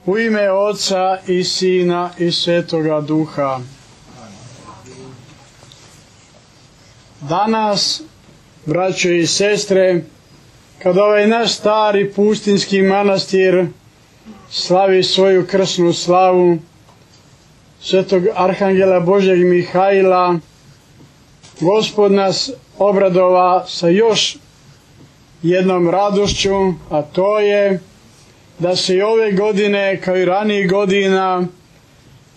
U ime Oca i Sina i Svetoga Duha. Danas, braćo i sestre, kad ovaj naš stari pustinski manastir slavi svoju krsnu slavu Svetog Arhangela Božjeg Mihajla, Gospod nas obradova sa još jednom radošću, a to je da se i ove godine, kao i ranijih godina,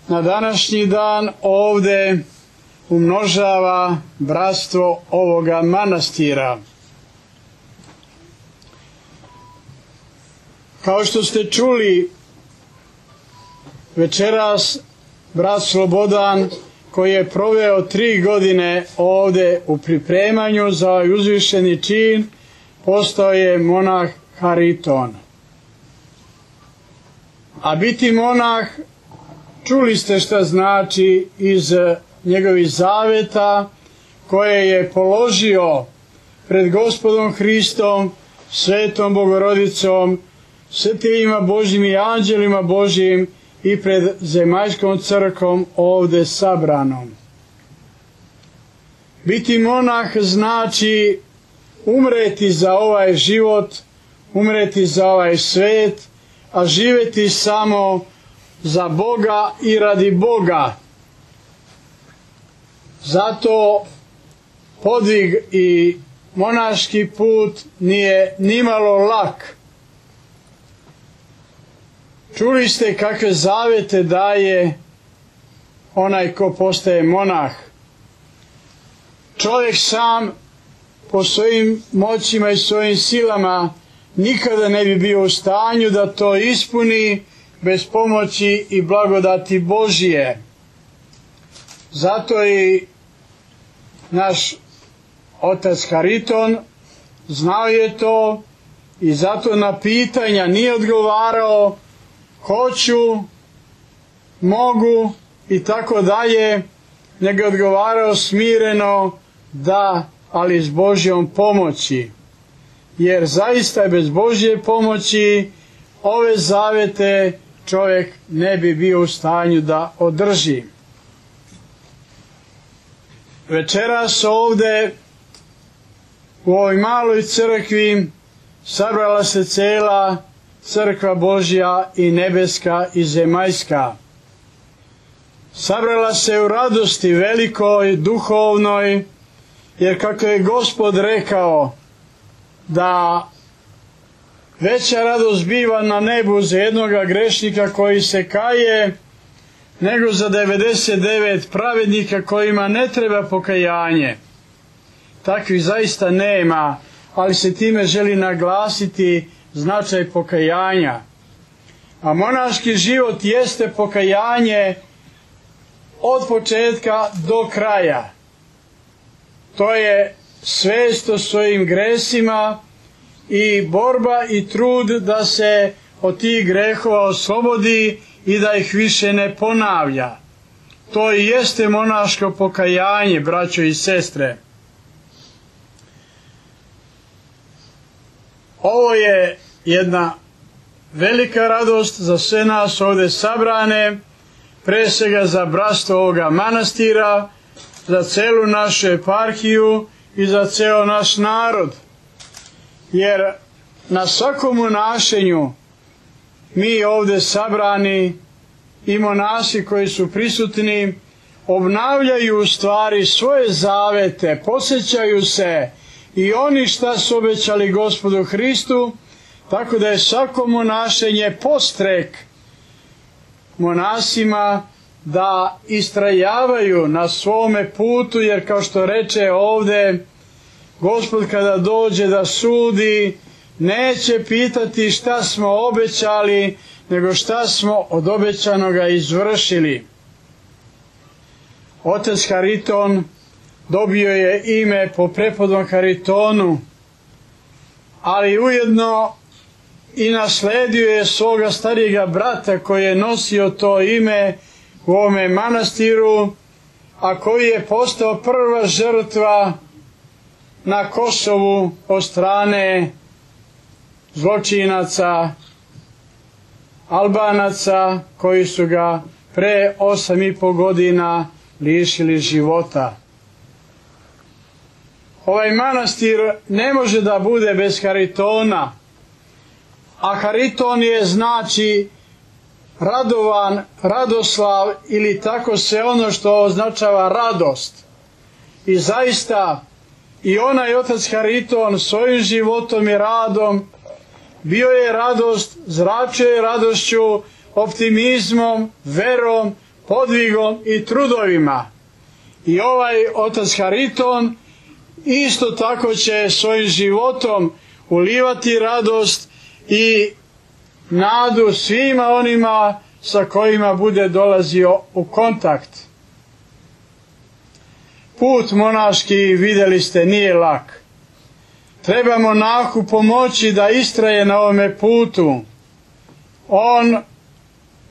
na današnji dan ovde umnožava bratstvo ovoga manastira. Kao što ste čuli, večeras brat Slobodan, koji je proveo 3 godine ovde u pripremanju za ovaj uzvišeni čin, postao je monah Hariton. A biti monah, čuli ste šta znači iz njegovih zaveta koje je položio pred Gospodom Hristom, Svetom Bogorodicom, svetima Božjim i anđelima Božjim i pred zemaljskom crkvom ovde sabranom. Biti monah znači umreti za ovaj život, umreti za ovaj svet, a živjeti samo za Boga i radi Boga. Zato podvig i monaški put nije nimalo lak. Čuli ste kakve zavete daje onaj ko postaje monah. Čovjek sam po svojim moćima i svojim silama nikada ne bi bio u stanju da to ispuni bez pomoći i blagodati Božije. Zato i naš otac Hariton znao je to i zato na pitanja nije odgovarao hoću, mogu i tako dalje, nego je odgovarao smireno da, ali s Božjom pomoći. Jer zaista bez Božje pomoći ove zavete čovjek ne bi bio u stanju da održi. Večeras ovde u ovoj maloj crkvi sabrala se cela crkva Božja i nebeska i zemaljska. Sabrala se u radosti velikoj, duhovnoj, jer kako je Gospod rekao da veća radost biva na nebu za jednoga grešnika koji se kaje, nego za 99 pravednika kojima ne treba pokajanje. Takvih zaista nema, ali se time želi naglasiti značaj pokajanja. A monaški život jeste pokajanje od početka do kraja. To je svest o svojim gresima i borba i trud da se od tih grehova oslobodi i da ih više ne ponavlja. To i jeste monaško pokajanje, braćo i sestre. Ovo je jedna velika radost za sve nas ovdje sabrane, pre svega za bratstvo ovoga manastira, za celu našu eparhiju i za ceo naš narod. Jer na svakom monašenju mi ovdje sabrani i monasi koji su prisutni obnavljaju u stvari svoje zavete, podsjećaju se i oni šta su obećali Gospodu Hristu, tako da je svako monašenje postrek monasima da istrajavaju na svome putu, jer kao što reče ovde, Gospod kada dođe da sudi, neće pitati šta smo obećali, nego šta smo od obećanoga izvršili. Otac Hariton dobio je ime po prepodnom Haritonu, ali ujedno i nasledio je svoga starijega brata koji je nosio to ime u ovome manastiru, a koji je postao prva žrtva na Kosovu od strane zločinaca Albanaca koji su ga pre 8,5 godina lišili života. Ovaj manastir ne može da bude bez Haritona, a Hariton je znači radovan, radoslav ili tako se ono što označava radost. I zaista i onaj otac Hariton svojim životom i radom bio je radost, zračio je radošću, optimizmom, verom, podvigom i trudovima. I ovaj otac Hariton isto tako će svojim životom ulivati radost i nadu svima onima sa kojima bude dolazio u kontakt. Put monaški, vidjeli ste, nije lak. Treba monahu pomoći da istraje na ovome putu. On,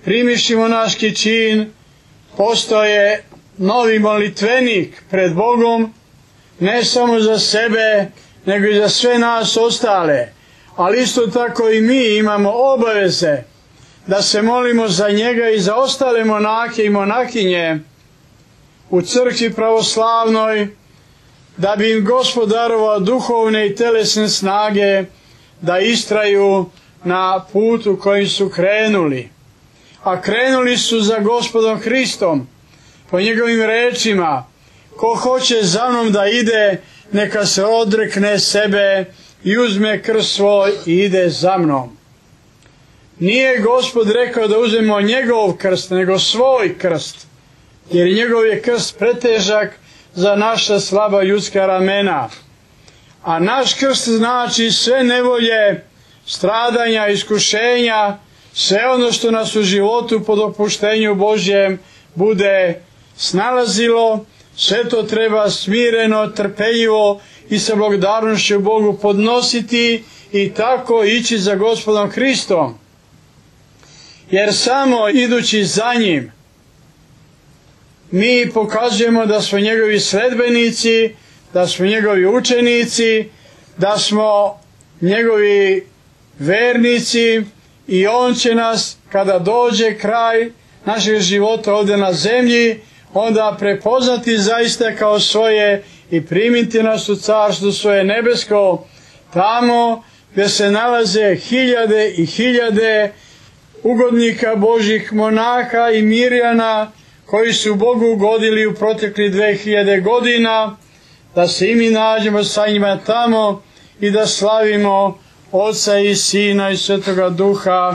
primiši monaški čin, postoje novi molitvenik pred Bogom, ne samo za sebe, nego i za sve nas ostale. Ali isto tako i mi imamo obaveze da se molimo za njega i za ostale monahe i monahinje u crkvi pravoslavnoj, da bi im Gospod darovao duhovne i telesne snage da istraju na putu kojim su krenuli. A krenuli su za Gospodom Hristom, po njegovim rečima: ko hoće za mnom da ide, neka se odrekne sebe i uzme krst svoj i ide za mnom. Nije Gospod rekao da uzmemo njegov krst, nego svoj krst, jer njegov je krst pretežak za naša slaba ljudska ramena. A naš krst znači sve nevolje, stradanja, iskušenja, sve ono što nas u životu po dopuštenju Božjem bude snalazilo, sve to treba smireno, trpeljivo i sa благодарnošću Bogu podnositi i tako ići za Gospodom Hristom. Jer samo idući za njim mi pokazujemo da smo njegovi sledbenici, da smo njegovi učenici, da smo njegovi vernici i on će nas, kada dođe kraj našeg života ovdje na zemlji, onda prepoznati zaista kao svoje i primiti nas u carstvo svoje nebesko, tamo gdje se nalaze hiljade i hiljade ugodnika Božih, monaha i mirjana koji su Bogu ugodili u proteklih 2000 godina, da se i mi nađemo sa njima tamo i da slavimo Oca i Sina i Svetoga Duha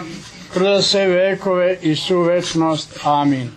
kroz sve vekove i svu večnost. Amin.